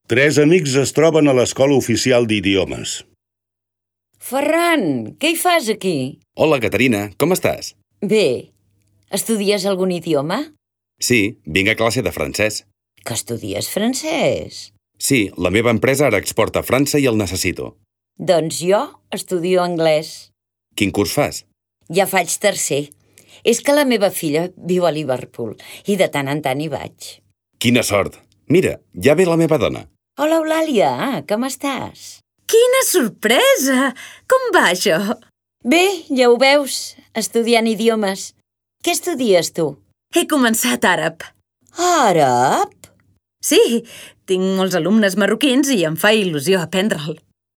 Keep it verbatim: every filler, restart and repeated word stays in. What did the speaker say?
Tres amics es troben a l'Escola Oficial d'Idiomes. Ferran, què hi fas aquí? Hola, Caterina, com estàs? Bé. Estudies algun idioma? Sí, vinc a classe de francès. Que estudies francès? Sí, la meva empresa ara exporta a França i el necessito. Doncs jo estudio anglès. Quin curs fas? Ja faig tercer. És que la meva filla viu a Liverpool i de tant en tant hi vaig. Quina sort! Mira, ja ve la meva dona. Hola, Eulàlia, com estàs? Quina sorpresa! Com va això? Bé, ja ho veus, estudiant idiomes. Què estudies tu? He començat àrab. Àrab? Sí, tinc molts alumnes marroquins i em fa il·lusió aprendre'l.